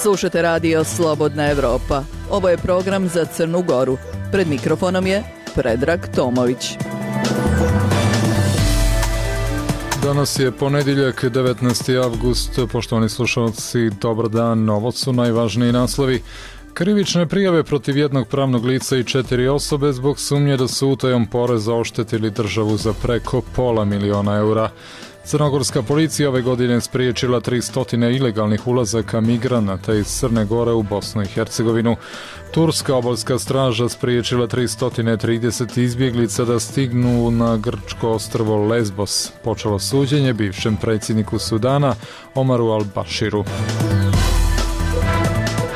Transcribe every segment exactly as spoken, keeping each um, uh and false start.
Slušate radio Slobodna Evropa. Ovo je program za Crnu Goru. Pred mikrofonom je Predrag Tomović. Danas je ponedjeljak, devetnaesti avgust. Poštovani slušalci, dobar dan. Ovo su najvažniji naslovi. Krivične prijave protiv jednog pravnog lica i četiri osobe zbog sumnje da su utajom poreza oštetili državu za preko pola miliona eura. Crnogorska policija ove godine spriječila tristo ilegalnih ulazaka migranata iz Crne Gore u Bosnu i Hercegovinu. Turska obalska straža spriječila tristo trideset izbjeglica da stignu na grčko ostrvo Lesbos. Počelo suđenje bivšem predsjedniku Sudana Omaru al-Bashiru.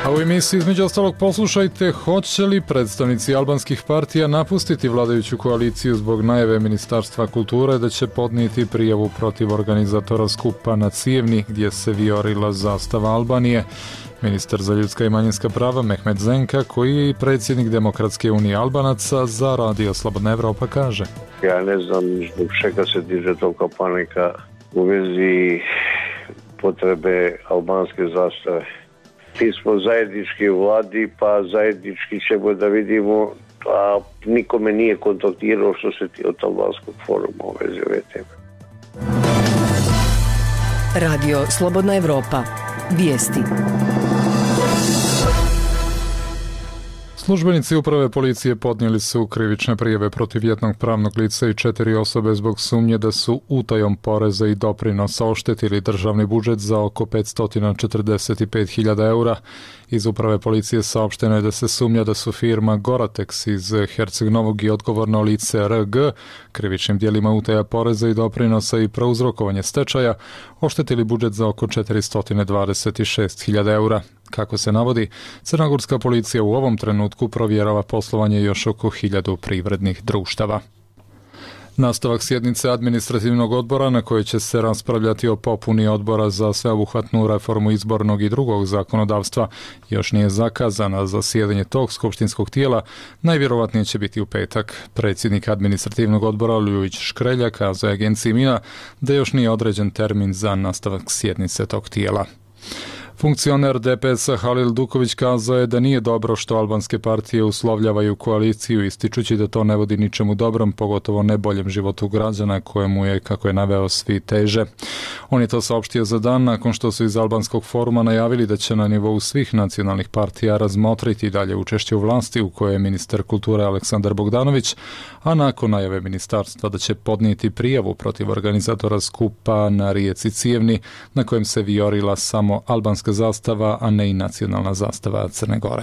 A u emisiji između ostalog poslušajte, hoće li predstavnici albanskih partija napustiti vladajuću koaliciju zbog najave Ministarstva kulture da će podnijeti prijavu protiv organizatora skupa na Cijevni gdje se vijorila zastava Albanije. Ministar za ljudska i manjinska prava Mehmet Zenka, koji je i predsjednik Demokratske unije Albanaca, za radio Slobodna Evropa kaže: Ja ne znam zbog čega se diže tolika panika u vezi potrebe albanske zastave. Mi smo zajednički u vladi, pa zajednički ćemo da vidimo, a nikome nije kontaktirao što se ti od albanskog foruma u vezi ove teme. Radio Slobodna Evropa. Vijesti. Službenici uprave policije podnijeli su krivične prijave protiv jednog pravnog lica i četiri osobe zbog sumnje da su utajom poreza i doprinosa oštetili državni budžet za oko petsto četrdeset pet hiljada eura. Iz uprave policije saopšteno je da se sumnja da su firma Goratex iz Herceg Novog i odgovorno lice R G krivičnim djelima utaja poreza i doprinosa i prouzrokovanje stečaja oštetili budžet za oko četiristo dvadeset šest hiljada eura. Kako se navodi, crnogorska policija u ovom trenutku provjerava poslovanje još oko hiljadu privrednih društava. Nastavak sjednice administrativnog odbora na kojoj će se raspravljati o popuni odbora za sveobuhvatnu reformu izbornog i drugog zakonodavstva još nije zakazana. Zasjedanje tog skupštinskog tijela najvjerovatnije će biti u petak. Predsjednik administrativnog odbora Ljubić Škrelja kazao je agenciji Mina da još nije određen termin za nastavak sjednice tog tijela. Funkcioner D P S-a Halil Duković kazao je da nije dobro što albanske partije uslovljavaju koaliciju, ističući da to ne vodi ničemu dobrom, pogotovo ne boljem životu građana kojemu je, kako je naveo, svi teže. On je to saopštio za dan nakon što su iz albanskog foruma najavili da će na nivou svih nacionalnih partija razmotriti dalje učešće u vlasti u kojoj je ministar kulture Aleksandar Bogdanović, a nakon najave ministarstva da će podnijeti prijavu protiv organizatora skupa na rijeci Cijevni na kojem se vijorila samo albanska zastava, a ne i nacionalna zastava Crne Gore.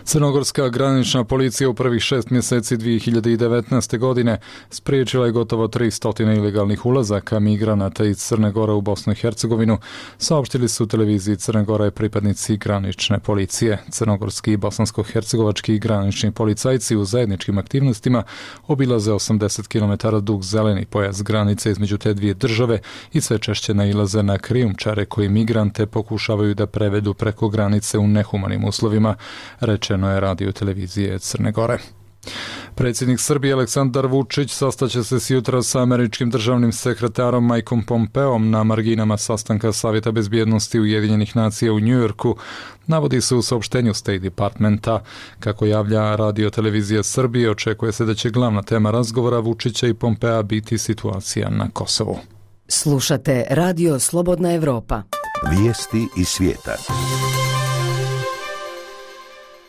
Crnogorska granična policija u prvih šest mjeseci dvije hiljade devetnaeste. godine spriječila je gotovo tristo ilegalnih ulazaka migranata iz Crne Gore u Bosnu i Hercegovinu, saopštili su televiziji Crne Gore pripadnici granične policije. Crnogorski i bosansko-hercegovački granični policajci u zajedničkim aktivnostima obilaze osamdeset kilometara dug zeleni pojas granice između te dvije države i sve češće nailaze na krijumčare koji migrante pokušavaju da prevedu preko granice u nehumanim uslovima, rečeno je radio televizije Crne Gore. Predsjednik Srbije Aleksandar Vučić sastaće se sjutra sa američkim državnim sekretarom Mikeom Pompeom na marginama sastanka Savjeta bezbjednosti Ujedinjenih nacija u Njujorku, navodi se u saopštenju State Departmenta. Kako javlja radio televizija Srbije, očekuje se da će glavna tema razgovora Vučića i Pompea biti situacija na Kosovu. Slušate radio Slobodna Evropa. Vijesti iz svijeta.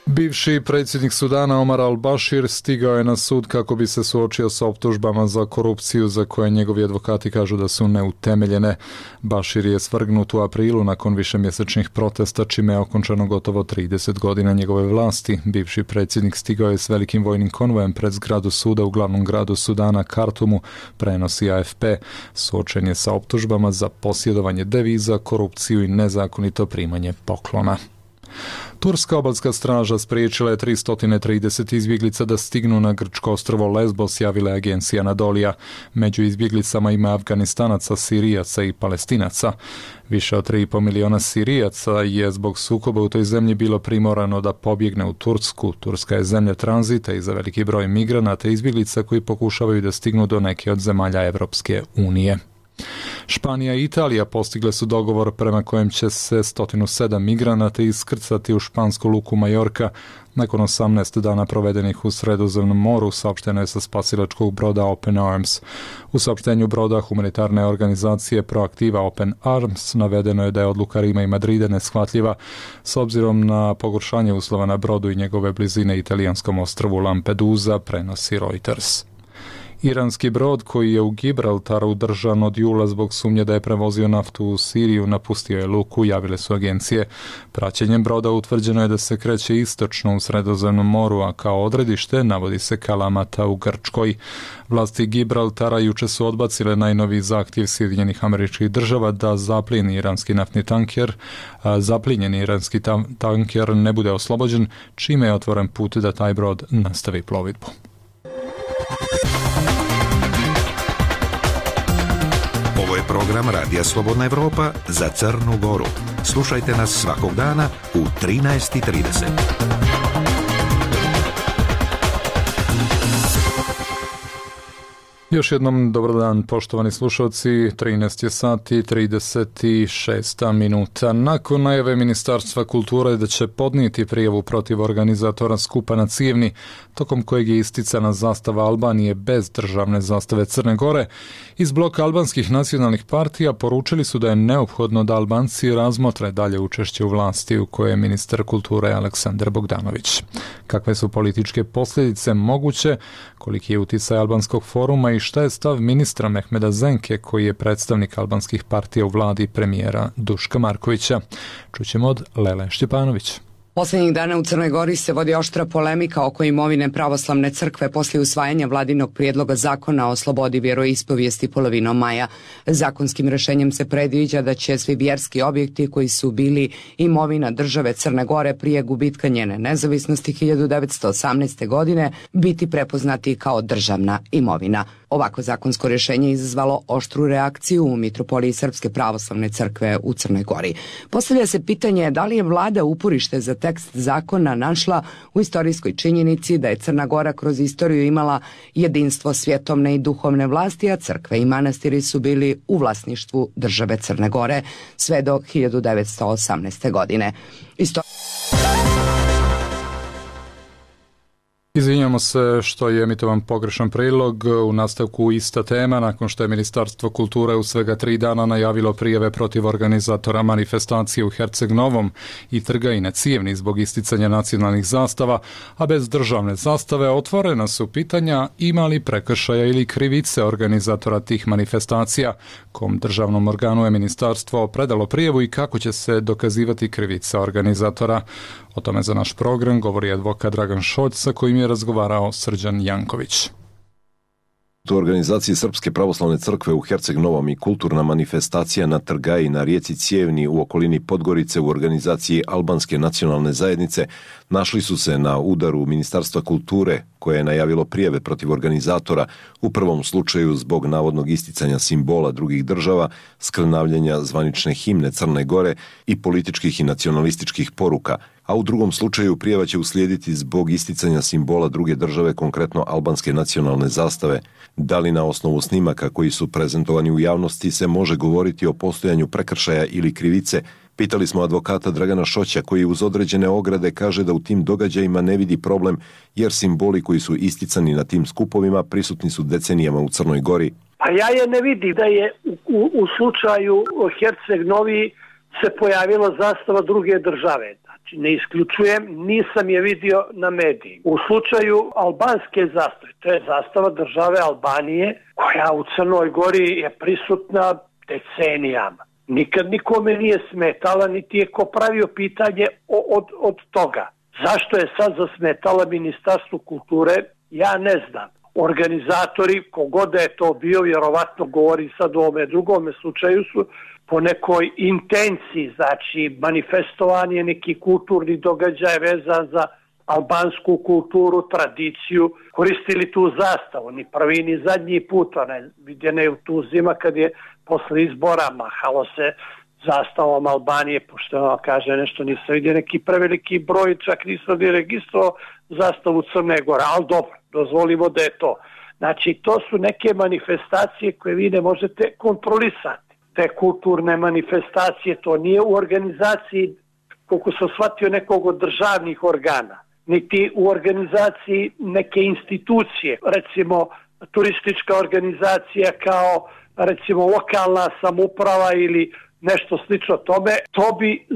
Bivši predsjednik Sudana Omar al-Bashir stigao je na sud kako bi se suočio sa optužbama za korupciju za koje njegovi advokati kažu da su neutemeljene. Bashir je svrgnut u aprilu nakon višemjesečnih protesta, čime je okončano gotovo trideset godina njegove vlasti. Bivši predsjednik stigao je s velikim vojnim konvojem pred zgradu suda u glavnom gradu Sudana, Kartumu, prenosi A F P. Suočen je sa optužbama za posjedovanje deviza, korupciju i nezakonito primanje poklona. Turska obalska straža spriječila je tristo trideset izbjeglica da stignu na grčko ostrvo Lesbos, javila je agencija Anadolija. Među izbjeglicama ima Afganistanaca, Sirijaca i Palestinaca. Više od tri i pol miliona Sirijaca je zbog sukoba u toj zemlji bilo primorano da pobjegne u Tursku. Turska je zemlja tranzita i za veliki broj migranata i izbjeglica koji pokušavaju da stignu do neke od zemalja Evropske unije. Španija i Italija postigle su dogovor prema kojem će se sto sedam migranata iskrcati u špansku luku Majorka nakon osamnaest dana provedenih u Sredozemnom moru, saopšteno je sa spasilačkog broda Open Arms. U saopštenju broda humanitarne organizacije Proaktiva Open Arms navedeno je da je odluka Rima i Madrida neshvatljiva s obzirom na pogoršanje uslova na brodu i njegove blizine italijanskom ostrvu Lampedusa, prenosi Reuters. Iranski brod koji je u Gibraltaru držan od jula zbog sumnje da je prevozio naftu u Siriju napustio je luku, javile su agencije. Praćenjem broda utvrđeno je da se kreće istočno u Sredozemnom moru, a kao odredište navodi se Kalamata u Grčkoj. Vlasti Gibraltara juče su odbacile najnoviji zahtjev Sjedinjenih Američkih Država da zaplijeni iranski naftni tanker, a zaplinjeni iranski tanker ne bude oslobođen, čime je otvoren put da taj brod nastavi plovidbu. Ovo je program Radija Slobodna Evropa za Crnu Goru. Slušajte nas svakog dana u trinaest i trideset. Još jednom dobar dan, poštovani slušalci, trinaest je sati trideset šest minuta. Nakon najave Ministarstva kulture da će podnijeti prijavu protiv organizatora skupa na Cijevni, tokom kojeg je isticana zastava Albanije bez državne zastave Crne Gore, iz bloka albanskih nacionalnih partija poručili su da je neophodno da Albanci razmotre dalje učešće u vlasti u kojoj je ministar kulture Aleksandar Bogdanović. Kakve su političke posljedice moguće, koliki je uticaj albanskog foruma i šta je stav ministra Mehmeda Zenke, koji je predstavnik albanskih partija u vladi premijera Duška Markovića. Čućemo od Lele Štjepanović. Poslednjih dana u Crnoj Gori se vodi oštra polemika oko imovine pravoslavne crkve poslije usvajanja vladinog prijedloga zakona o slobodi vjeroispovijesti polovinom maja. Zakonskim rešenjem se predviđa da će svi vjerski objekti koji su bili imovina države Crne Gore prije gubitka njene nezavisnosti hiljadu devetsto osamnaeste. godine biti prepoznati kao državna imovina. Ovako zakonsko rješenje izazvalo oštru reakciju u Mitropoliji Srpske pravoslavne crkve u Crnoj Gori. Postavlja se pitanje da li je vlada uporište za tekst zakona našla u istorijskoj činjenici da je Crna Gora kroz istoriju imala jedinstvo svjetovne i duhovne vlasti, a crkve i manastiri su bili u vlasništvu države Crne Gore sve do hiljadu devetsto osamnaeste. godine. Isto... Izvinjamo se što je emitovan pogrešan prilog. U nastavku ista tema, nakon što je Ministarstvo kulture u svega tri dana najavilo prijave protiv organizatora manifestacije u Herceg Novom i trga i na Cijevni zbog isticanja nacionalnih zastava, a bez državne zastave, otvorena su pitanja ima li prekršaja ili krivice organizatora tih manifestacija, kom državnom organu je ministarstvo predalo prijavu i kako će se dokazivati krivica organizatora. O tome za naš program govori advokat Dragan Šolj, sa kojim je razgovarao Srđan Janković. U organizaciji Srpske pravoslavne crkve u Herceg Novom i kulturna manifestacija na Trgaji na rijeci Cijevni u okolini Podgorice u organizaciji Albanske nacionalne zajednice našli su se na udaru Ministarstva kulture, koje je najavilo prijave protiv organizatora, u prvom slučaju zbog navodnog isticanja simbola drugih država, skrnavljenja zvanične himne Crne Gore i političkih i nacionalističkih poruka, a u drugom slučaju prijava će uslijediti zbog isticanja simbola druge države, konkretno albanske nacionalne zastave. Da li na osnovu snimaka koji su prezentovani u javnosti se može govoriti o postojanju prekršaja ili krivice? Pitali smo advokata Dragana Šoća, koji uz određene ograde kaže da u tim događajima ne vidi problem, jer simboli koji su isticani na tim skupovima prisutni su decenijama u Crnoj Gori. Pa ja je ne vidim da je u, u, u slučaju Herceg Novi se pojavila zastava druge države. Znači, ne isključujem, nisam je vidio na mediji. U slučaju albanske zastave, to je zastava države Albanije, koja u Crnoj Gori je prisutna decenijama. Nikad nikome nije smetala, niti je ko pravio pitanje od, od toga. Zašto je sad zasmetala Ministarstvu kulture, ja ne znam. Organizatori, kogod da je to bio, vjerovatno govori sad o ovome drugome slučaju, su po nekoj intenciji, znači manifestovanje neki kulturni događaj vezan za albansku kulturu, tradiciju, koristili tu zastavu, ni prvi ni zadnji put, ona je vidjena je u Tuzima kad je posle izbora mahalo se zastavom Albanije, pošto ona kaže nešto, nisam vidio neki preveliki broj, čak nisam ni registrovao zastavu Crne Gore, ali dobro, dozvolimo da je to. Znači, to su neke manifestacije koje vi ne možete kontrolisati. te kulturne manifestacije, to nije u organizaciji, koliko sam shvatio, nekog od državnih organa, niti u organizaciji neke institucije, recimo turistička organizacija kao recimo lokalna samouprava ili nešto slično tome. To bi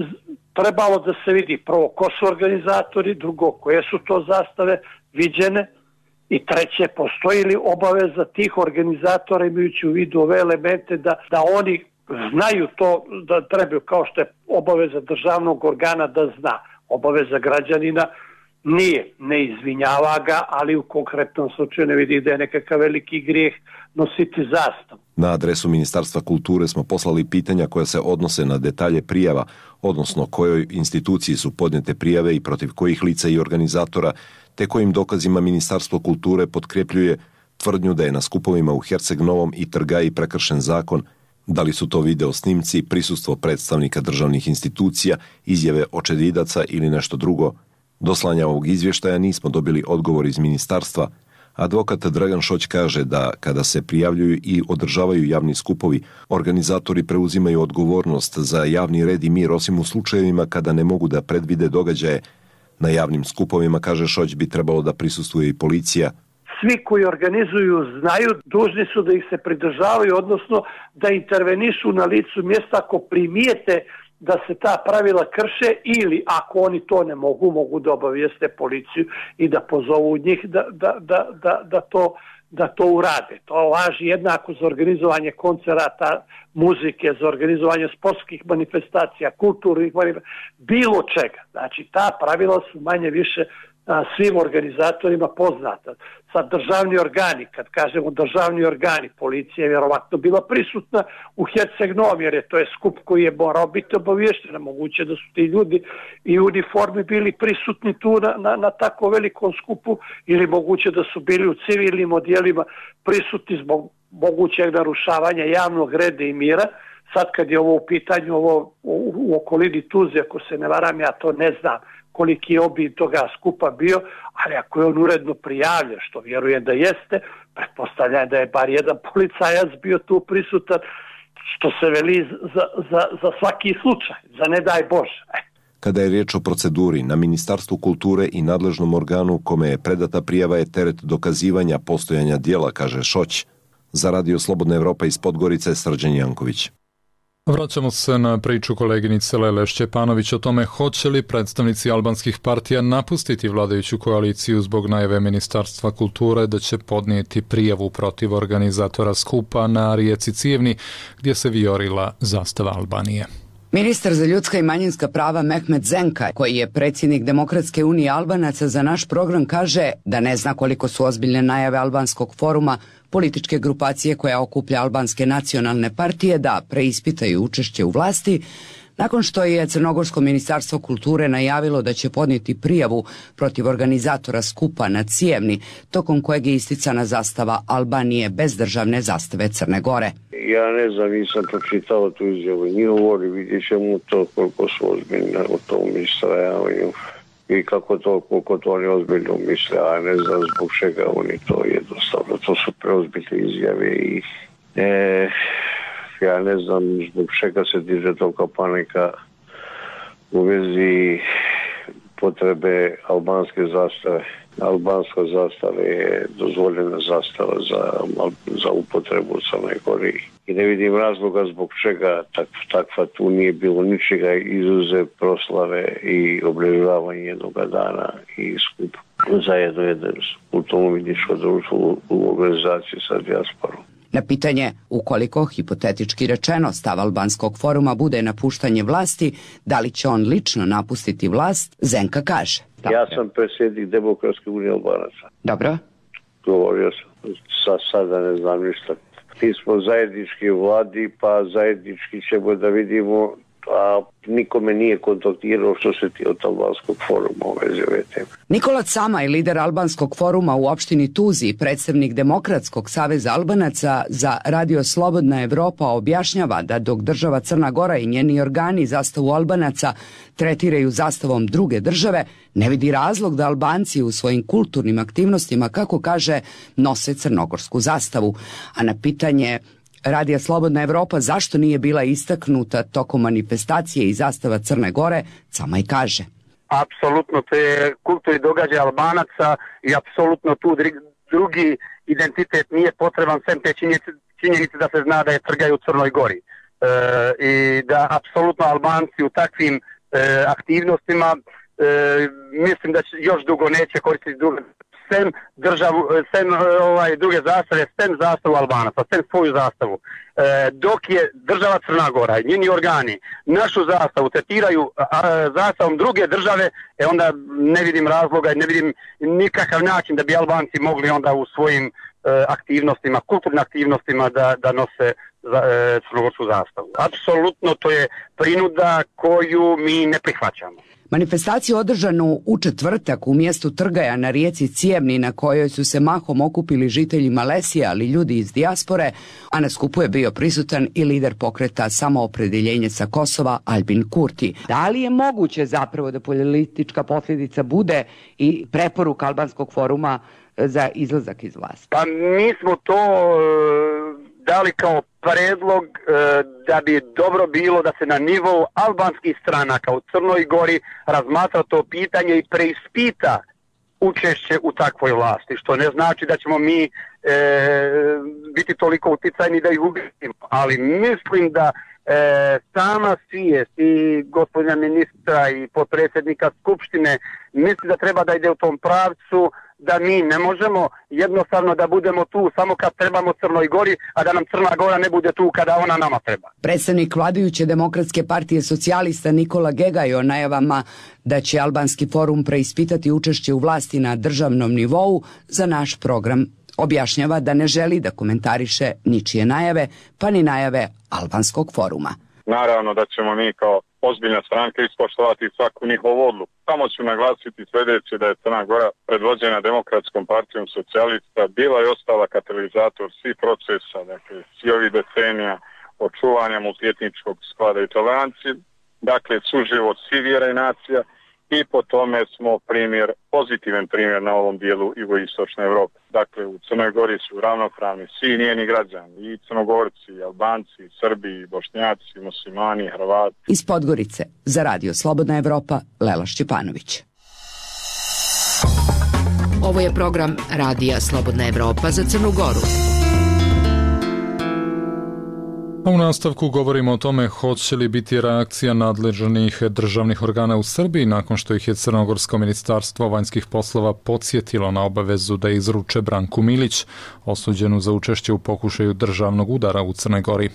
trebalo da se vidi prvo ko su organizatori, drugo koje su to zastave viđene i treće postoji li obaveza tih organizatora imajući u vidu ove elemente da, da oni znaju to da trebaju, kao što je obaveza državnog organa da zna. Obaveza građanina nije, ne izvinjava ga, ali u konkretnom slučaju ne vidi da je nekakav veliki grijeh nositi zastavu. Na adresu Ministarstva kulture smo poslali pitanja koja se odnose na detalje prijava, odnosno kojoj instituciji su podnijete prijave i protiv kojih lica i organizatora, te kojim dokazima Ministarstvo kulture potkrepljuje tvrdnju da je na skupovima u Herceg Novom i Trgaji prekršen zakon, da li su to video snimci, prisustvo predstavnika državnih institucija, izjave očevidaca ili nešto drugo. Do slanja ovog izvještaja nismo dobili odgovor iz ministarstva. Advokat Dragan Šoć kaže da kada se prijavljuju i održavaju javni skupovi, organizatori preuzimaju odgovornost za javni red i mir osim u slučajevima kada ne mogu da predvide događaje. Na javnim skupovima, kaže Šoć, bi trebalo da prisustvuje i policija. Svi koji organizuju znaju, dužni su da ih se pridržavaju, odnosno da intervenišu na licu mjesta ako primijete da se ta pravila krše ili ako oni to ne mogu, mogu da obavijeste policiju i da pozovu njih da, da, da, da, da, to, da to urade. To važi jednako za organizovanje koncerata, muzike, za organizovanje sportskih manifestacija, kulturnih manifestacija, bilo čega. Znači ta pravila su manje više a, svim organizatorima poznata. Sad državni organi, kad kažemo državni organi, policija je vjerovatno bila prisutna u Herceg Novom, jer je to je skup koji je morao biti obaviješten. Moguće da su ti ljudi i u uniformi bili prisutni tu na, na, na tako velikom skupu, ili moguće da su bili u civilnim odjelima prisutni zbog mogućeg narušavanja javnog reda i mira. Sad kad je ovo u pitanju, ovo u, u okolini Tuzle, ako se ne varam, ja to ne znam koliki je obim toga skupa bio, ali ako je on uredno prijavljen, što vjerujem da jeste, pretpostavljam da je bar jedan policajac bio tu prisutan, što se veli za, za, za svaki slučaj, za ne daj Bože. Kada je riječ o proceduri, na Ministarstvu kulture i nadležnom organu kome je predata prijava je teret dokazivanja postojanja dijela, kaže Šoć. Za Radio Slobodna Evropa iz Podgorice, Srđan Janković. Vraćamo se na priču koleginice Lele Šćepanović o tome hoće li predstavnici albanskih partija napustiti vladajuću koaliciju zbog najave Ministarstva kulture da će podnijeti prijavu protiv organizatora skupa na rijeci Cijevni gdje se vijorila zastava Albanije. Ministar za ljudska i manjinska prava Mehmet Zenka, koji je predsjednik Demokratske unije Albanaca, za naš program kaže da ne zna koliko su ozbiljne najave albanskog foruma, političke grupacije koja okuplja albanske nacionalne partije, da preispitaju učešće u vlasti, nakon što je Crnogorsko ministarstvo kulture najavilo da će podnijeti prijavu protiv organizatora skupa na Cijevni, tokom kojeg je isticana zastava Albanije bez državne zastave Crne Gore. Ja ne znam, nisam pročitao tu izjavu njihovu, vidjet ćemo to koliko su ozbiljni u tom istrajavanju i kako to, koliko to oni ozbiljno misle, a ne znam zbog čega oni to jednostavno. To su preozbiljne izjave i e, ja ne znam zbog čega se diže tolika panika u vezi potrebe albanske zastave. Albanska zastava je dozvoljena zastava za, za upotrebu u Crnoj Gori. I ne vidim razloga zbog čega tak, takva tu nije bilo ničega izuzev proslave i obilježavanje jednog dana i skup zajedno jedno kulturno-umjetničko društvo u organizaciji sa dijasporom. Na pitanje, ukoliko, hipotetički rečeno, stav albanskog foruma bude napuštanje vlasti, da li će on lično napustiti vlast, Zenka kaže. Ja sam predsjednik Demokratske unije Albanaca. Dobro. Govorio sam, sa, sada ne znam ništa. Mi smo zajednički u vladi, pa zajednički ćemo da vidimo, a nikome nije kontaktirao što se ti od albanskog foruma u vezi ove teme. Nikola Camaj, lider albanskog foruma u opštini Tuzi i predstavnik Demokratskog saveza Albanaca za Radio Slobodna Evropa objašnjava da dok država Crna Gora i njeni organi zastavu Albanaca tretiraju zastavom druge države, ne vidi razlog da Albanci u svojim kulturnim aktivnostima, kako kaže, nose crnogorsku zastavu. A na pitanje Radija Slobodna Evropa zašto nije bila istaknuta tokom manifestacije i zastava Crne Gore, Camaj kaže. Apsolutno, to je kulturni događaj Albanaca i apsolutno tu drugi identitet nije potreban, sem te činjenice da se zna da je trgaju u Crnoj Gori. E, I da apsolutno Albanci u takvim e, aktivnostima e, mislim da će još dugo neće koristiti druge, sem, državu, sem ovaj, druge zastave, sem zastavu Albanaca, sem svoju zastavu. E, dok je država Crna Gora i njeni organi našu zastavu tretiraju a, zastavom druge države, e onda ne vidim razloga i ne vidim nikakav način da bi Albanci mogli onda u svojim e, aktivnostima, kulturnim aktivnostima da, da nose za, e, crnogorsku zastavu. Apsolutno to je prinuda koju mi ne prihvaćamo. Manifestaciju održanu u četvrtak u mjestu Trgaja na rijeci Cijevni, na kojoj su se mahom okupili žitelji Malesije, ali ljudi iz dijaspore, a na skupu je bio prisutan i lider pokreta Samoopredjeljenje sa Kosova Albin Kurti. Da li je moguće zapravo da politička posljedica bude i preporuka Albanskog foruma za izlazak iz vlasti? Pa mi smo to dali kao predlog e, da bi dobro bilo da se na nivou albanskih stranaka u Crnoj Gori razmatra to pitanje i preispita učešće u takvoj vlasti, što ne znači da ćemo mi e, biti toliko uticajni da ih ubijemo, ali mislim da e, sama svijest i gospodina ministra i potpredsjednika Skupštine mislim da treba da ide u tom pravcu, da mi ne možemo jednostavno da budemo tu samo kad trebamo Crnoj Gori, a da nam Crna Gora ne bude tu kada ona nama treba. Predstavnik vladajuće Demokratske partije socijalista Nikola Gegaj o najavama da će Albanski forum preispitati učešće u vlasti na državnom nivou za naš program objašnjava da ne želi da komentariše ničije najave, pa ni najave Albanskog foruma. Naravno da ćemo mi kao ozbiljna stranka ispoštovati svaku njihovu odluku. Samo ću naglasiti sljedeće, da je Crna Gora predvođena Demokratskom partijom socijalista bila i ostala katalizator svih procesa, dakle svi ovih decenija očuvanja multietničkog sklada i tolerancije, dakle suživot svih vjera i nacija, i po tome smo primjer, pozitivan primjer na ovom dijelu jugoistočne Europe. Dakle, u Crnoj Gori su ravnopravni svi njeni građani, i Crnogorci, i Albanci, i Srbi, i Bošnjaci, i Muslimani, i Hrvati. Iz Podgorice za Radio Slobodna Evropa, Lela Šćepanović. Ovo je program Radija Slobodna Evropa za Crnu Goru. A u nastavku govorimo o tome hoće li biti reakcija nadležnih državnih organa u Srbiji nakon što ih je Crnogorsko ministarstvo vanjskih poslova podsjetilo na obavezu da izruče Branku Milić, osuđenu za učešće u pokušaju državnog udara u Crnoj Gori.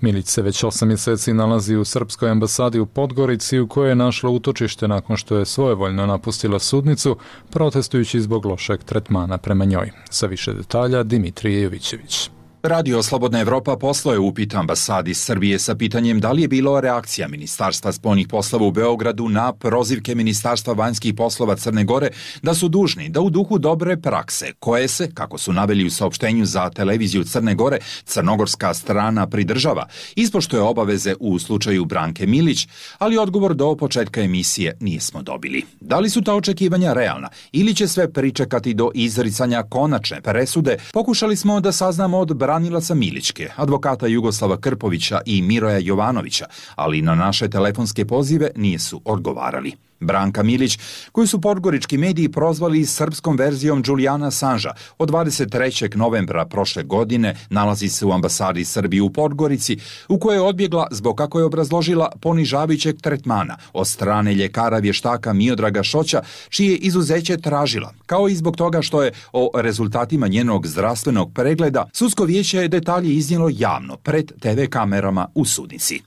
Milić se već osam mjeseci nalazi u srpskoj ambasadi u Podgorici, u kojoj je našla utočište nakon što je svojevoljno napustila sudnicu, protestujući zbog lošeg tretmana prema njoj. Sa više detalja Dimitrije Jovićević. Radio Slobodna Evropa poslao je upit ambasadi Srbije sa pitanjem da li je bilo reakcija Ministarstva spoljnih poslova u Beogradu na prozivke Ministarstva vanjskih poslova Crne Gore da su dužni da u duhu dobre prakse, koje se, kako su naveli u saopštenju za televiziju Crne Gore, crnogorska strana pridržava, ispoštuje obaveze u slučaju Branke Milić, ali odgovor do početka emisije nismo dobili. Da li su ta očekivanja realna ili će sve pričekati do izricanja konačne presude, pokušali smo da saznamo od branilaca Milićke, advokata Jugoslava Krpovića i Miroja Jovanovića, ali na naše telefonske pozive nisu odgovarali. Branka Milić, koju su podgorički mediji prozvali srpskom verzijom Julijana Assange, od dvadeset trećeg novembra prošle godine nalazi se u ambasadi Srbije u Podgorici, u kojoj je odbjegla zbog, kako je obrazložila, ponižavajućeg tretmana od strane ljekara vještaka Miodraga Šoća, čije izuzeće tražila, kao i zbog toga što je o rezultatima njenog zdravstvenog pregleda sudsko vijeće je detalje iznijelo javno pred te ve kamerama u sudnici.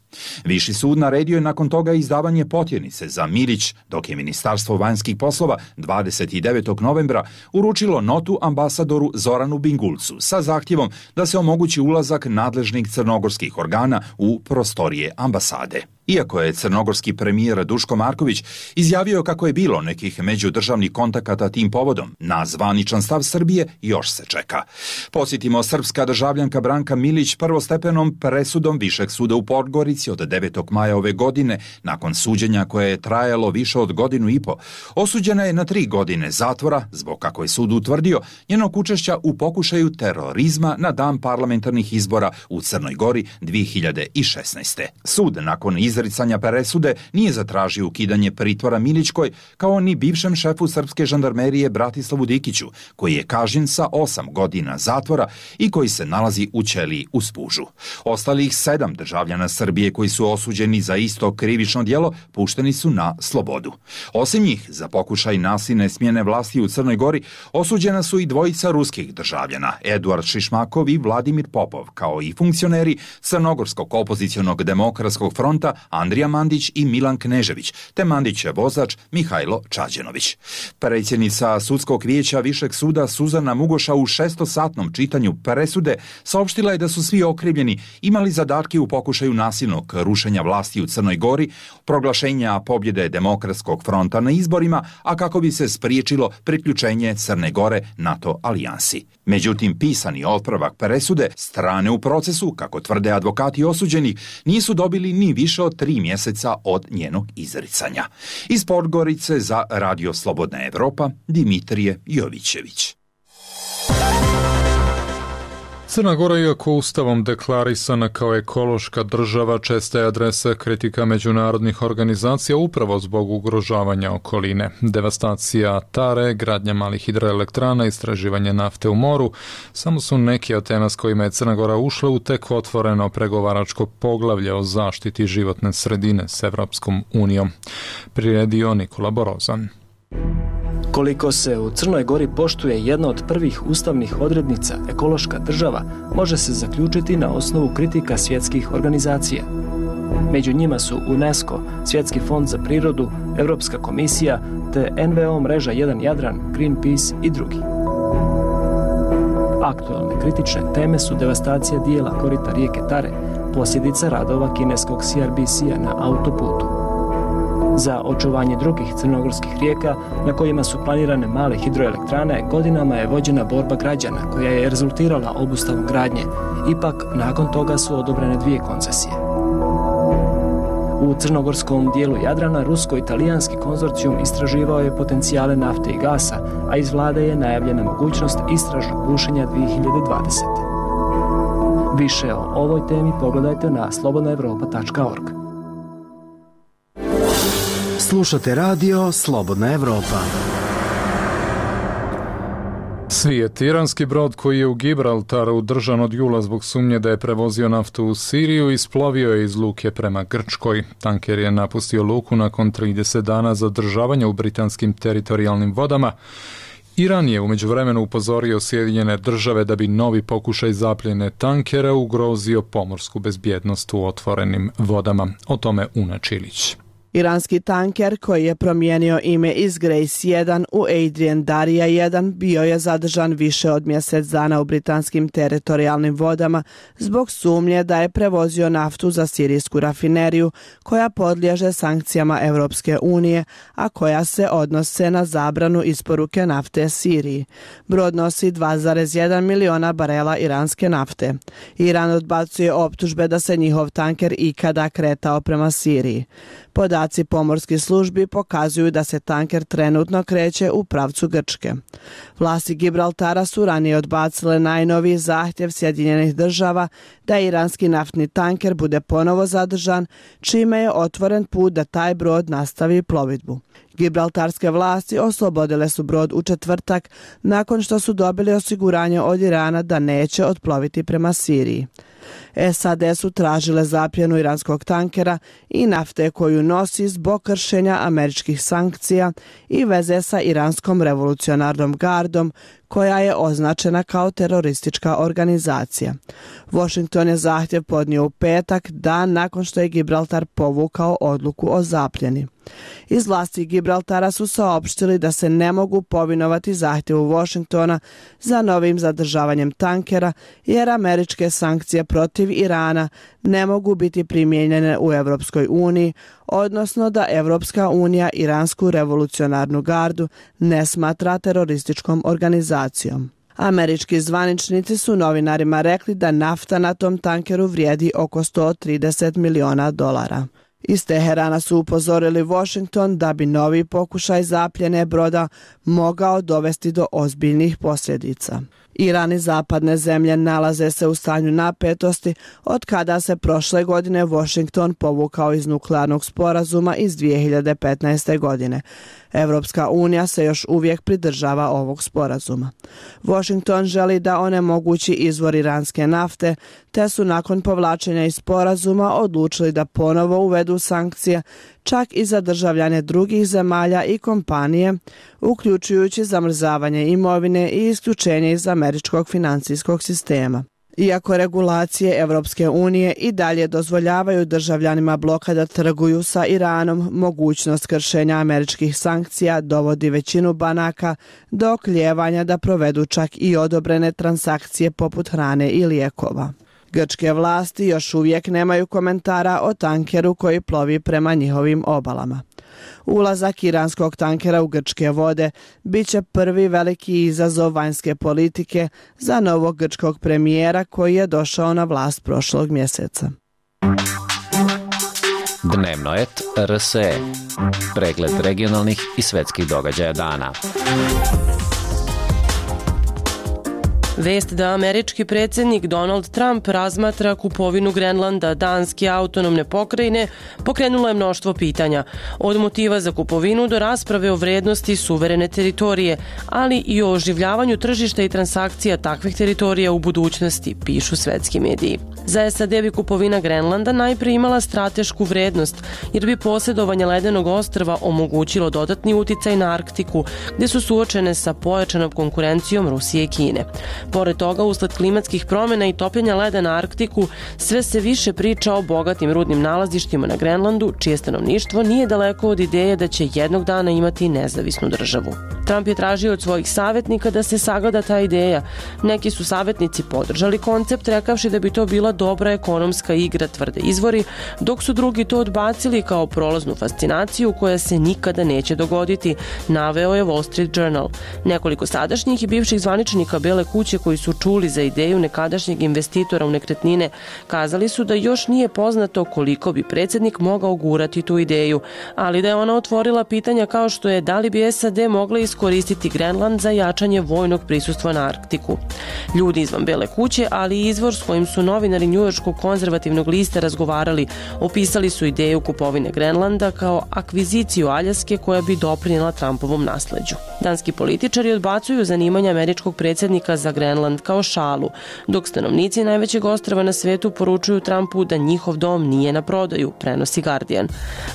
Viši sud naredio je nakon toga izdavanje potjernice za Milić, dok je Ministarstvo vanjskih poslova dvadeset devetog novembra uručilo notu ambasadoru Zoranu Bingulcu sa zahtjevom da se omogući ulazak nadležnih crnogorskih organa u prostorije ambasade. Iako je crnogorski premijer Duško Marković izjavio kako je bilo nekih međudržavnih kontakata tim povodom, na zvaničan stav Srbije još se čeka. Posjetimo, srpska državljanka Branka Milić prvostepenom presudom Višeg suda u Podgorici od devetog maja ove godine, nakon suđenja koje je trajalo više od godinu i po, osuđena je na tri godine zatvora zbog, kako je sud utvrdio, njenog učešća u pokušaju terorizma na dan parlamentarnih izbora u Crnoj Gori dvije hiljade šesnaeste. Sud nakon izricanja presude nije zatražio ukidanje pritvora Milićkoj, kao ni bivšem šefu srpske žandarmerije Bratislavu Dikiću, koji je kažnjen sa osam godina zatvora i koji se nalazi u ćeliji u Spužu. Ostalih sedam državljana Srbije koji su osuđeni za isto krivično djelo pušteni su na slobodu. Osim njih, za pokušaj nasilne smjene vlasti u Crnoj Gori osuđena su i dvojica ruskih državljana, Eduard Šišmakov i Vladimir Popov, kao i funkcioneri Crnogorskog opozicionog demokratskog fronta Andrija Mandić i Milan Knežević, te Mandićev vozač Mihajlo Čađenović. Predsjednica sudskog vijeća Višeg suda Suzana Mugoša u šestosatnom čitanju presude saopštila je da su svi okrivljeni imali zadatke u pokušaju nasilnog rušenja vlasti u Crnoj Gori, proglašenja pobjede Demokratskog fronta na izborima, a kako bi se spriječilo priključenje Crne Gore NATO alijansi. Međutim, pisani otpravak presude strane u procesu, kako tvrde advokati osuđenih, nisu dobili ni više od tri mjeseca od njenog izricanja. Iz Podgorice za Radio Slobodna Evropa, Dimitrije Jovićević. Crna Gora, iako ustavom deklarisana kao ekološka država, česta je adresa kritika međunarodnih organizacija upravo zbog ugrožavanja okoline. Devastacija Tare, gradnja malih hidroelektrana, istraživanje nafte u moru samo su neki od tema s kojima je Crna Gora ušla u tek otvoreno pregovaračko poglavlje o zaštiti životne sredine s Evropskom unijom. Priredio Nikola Borozan. Koliko se u Crnoj Gori poštuje jedna od prvih ustavnih odrednica ekološka država, može se zaključiti na osnovu kritika svjetskih organizacija. Među njima su UNESCO, Svjetski fond za prirodu, Europska komisija te en ve o mreža jedan Jadran, Greenpeace i drugi. Aktualne kritične teme su devastacija dijela korita rijeke Tare, posljedica radova kineskog C R B C-a na autoputu. Za očuvanje drugih crnogorskih rijeka na kojima su planirane male hidroelektrane godinama je vođena borba građana koja je rezultirala obustavom gradnje. Ipak, nakon toga su odobrene dvije koncesije. U crnogorskom dijelu Jadrana rusko-italijanski konzorcijum istraživao je potencijale nafte i gasa, a iz vlade je najavljena mogućnost istražnog bušenja dvije hiljade dvadesete. Više o ovoj temi pogledajte na slobodna evropa tačka org. Slušate radio Slobodna Evropa. Svijet. Iranski brod koji je u Gibraltaru držan od jula zbog sumnje da je prevozio naftu u Siriju isplovio je iz luke prema Grčkoj. Tanker je napustio luku nakon trideset dana zadržavanja u britanskim teritorijalnim vodama. Iran je u međuvremenu upozorio Sjedinjene države da bi novi pokušaj zapljene tankera ugrozio pomorsku bezbjednost u otvorenim vodama. O tome Una Čilić. Iranski tanker koji je promijenio ime iz Grace jedan u Adrian Darija jedan bio je zadržan više od mjesec dana u britanskim teritorijalnim vodama zbog sumnje da je prevozio naftu za sirijsku rafineriju koja podliježe sankcijama Europske unije, a koja se odnose na zabranu isporuke nafte Siriji. Brod nosi dva zarez jedan miliona barela iranske nafte. Iran odbacuje optužbe da se njihov tanker ikada kretao prema Siriji. Podaci pomorskih službi pokazuju da se tanker trenutno kreće u pravcu Grčke. Vlasti Gibraltara su ranije odbacile najnoviji zahtjev Sjedinjenih država da iranski naftni tanker bude ponovo zadržan, čime je otvoren put da taj brod nastavi plovidbu. Gibraltarske vlasti oslobodile su brod u četvrtak nakon što su dobili osiguranje od Irana da neće otploviti prema Siriji. S A D su tražile zapljenu iranskog tankera i nafte koju nosi zbog kršenja američkih sankcija i veze sa iranskom revolucionarnom gardom koja je označena kao teroristička organizacija. Washington je zahtjev podnio u petak, dan nakon što je Gibraltar povukao odluku o zapljeni. Iz vlasti Gibraltara su saopštili da se ne mogu povinovati zahtjevu Washingtona za novim zadržavanjem tankera, jer američke sankcije protiv Irana ne mogu biti primijenjene u Europskoj uniji, odnosno da Europska unija Iransku revolucionarnu gardu ne smatra terorističkom organizacijom. Američki zvaničnici su novinarima rekli da nafta na tom tankeru vrijedi oko sto trideset miliona dolara. Iz Teherana su upozorili Washington da bi novi pokušaj zapljene broda mogao dovesti do ozbiljnih posljedica. Iran i zapadne zemlje nalaze se u stanju napetosti od kada se prošle godine Washington povukao iz nuklearnog sporazuma iz dvije hiljade petnaeste. godine. Europska unija se još uvijek pridržava ovog sporazuma. Washington želi da onemogući izvor iranske nafte, te su nakon povlačenja iz sporazuma odlučili da ponovo uvedu sankcije, čak i za državljane drugih zemalja i kompanije, uključujući zamrzavanje imovine i isključenje iz američkog financijskog sistema. Iako regulacije Europske unije i dalje dozvoljavaju državljanima bloka da trguju sa Iranom, mogućnost kršenja američkih sankcija dovodi većinu banaka do oklijevanja da provedu čak i odobrene transakcije poput hrane i lijekova. Grčke vlasti još uvijek nemaju komentara o tankeru koji plovi prema njihovim obalama. Ulazak iranskog tankera u grčke vode bit će prvi veliki izazov vanjske politike za novog grčkog premijera koji je došao na vlast prošlog mjeseca. Dnevnoet R S E. Pregled regionalnih i svetskih događaja dana. Vest da američki predsjednik Donald Trump razmatra kupovinu Grenlanda, Danske autonomne pokrajine, pokrenula je mnoštvo pitanja. Od motiva za kupovinu do rasprave o vrednosti suverene teritorije, ali i o oživljavanju tržišta i transakcija takvih teritorija u budućnosti, pišu svetski mediji. Za S A D bi kupovina Grenlanda najprije imala stratešku vrednost, jer bi posjedovanje ledenog ostrva omogućilo dodatni uticaj na Arktiku, gdje su suočene sa pojačanom konkurencijom Rusije i Kine. Pored toga, usled klimatskih promjena i topljenja leda na Arktiku, sve se više priča o bogatim rudnim nalazištima na Grenlandu, čije stanovništvo nije daleko od ideje da će jednog dana imati nezavisnu državu. Trump je tražio od svojih savjetnika da se sagleda ta ideja. Neki su savjetnici podržali koncept, rekavši da bi to bila dobra ekonomska igra, tvrde izvori, dok su drugi to odbacili kao prolaznu fascinaciju koja se nikada neće dogoditi, naveo je Wall Street Journal. Nekoliko sadašnjih i bivših zvaničnika Bele kuće koji su čuli za ideju nekadašnjeg investitora u nekretnine kazali su da još nije poznato koliko bi predsjednik mogao gurati tu ideju, ali da je ona otvorila pitanja kao što je da li bi S A D mogla iskoristiti Grenland za jačanje vojnog prisustva na Arktiku. Ljudi izvan Bele kuće, ali i izvor s kojim su novinari njujorškog konzervativnog lista razgovarali, opisali su ideju kupovine Grenlanda kao akviziciju Aljaske koja bi doprinijela Trumpovom nasleđu. Danski političari odbacuju zanimanje američkog predsjednika za Grenland kao šalu, dok stanovnici najvećeg ostrva na svetu poručuju Trumpu da njihov dom nije na prodaju, prenosi Guardian.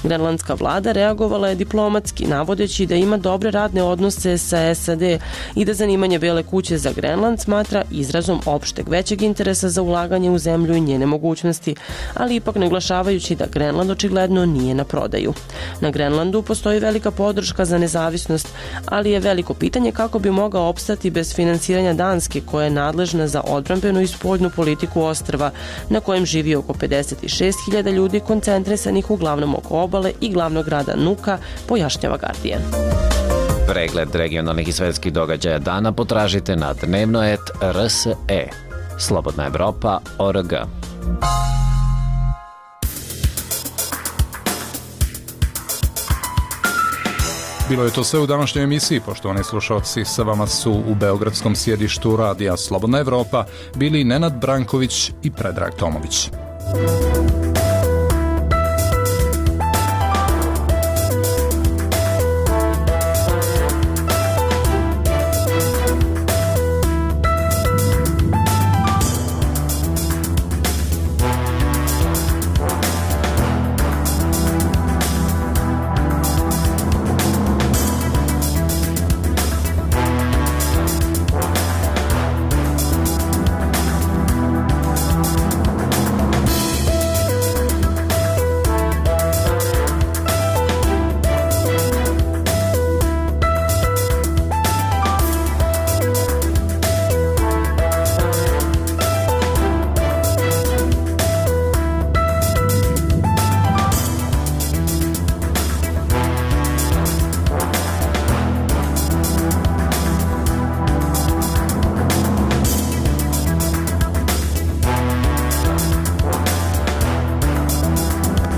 Grenlandska vlada reagovala je diplomatski, navodeći da ima dobre radne odnose sa S A D i da zanimanje Bele kuće za Grenland smatra izrazom opšteg većeg interesa za ulaganje u zemlju i njene mogućnosti, ali ipak naglašavajući da Grenland očigledno nije na prodaju. Na Grenlandu postoji velika podrška za nezavisnost, ali je veliko pitanje kako bi mogao opstati bez finansiranja Danske, koja je nadležna za odbrambenu i spoljnu politiku ostrva, na kojem živi oko pedeset šest hiljada ljudi koncentrisanih uglavnom oko obale i glavnog grada Nuka, pojašnjava Guardian. Pregled regionalnih i svetskih događaja dana potražite na dnevnoet R S E. Slobodna Evropa точка org. Bilo je to sve u današnjoj emisiji. Poštovani slušalci, sa vama su u beogradskom sjedištu radija Slobodna Evropa bili Nenad Branković i Predrag Tomović.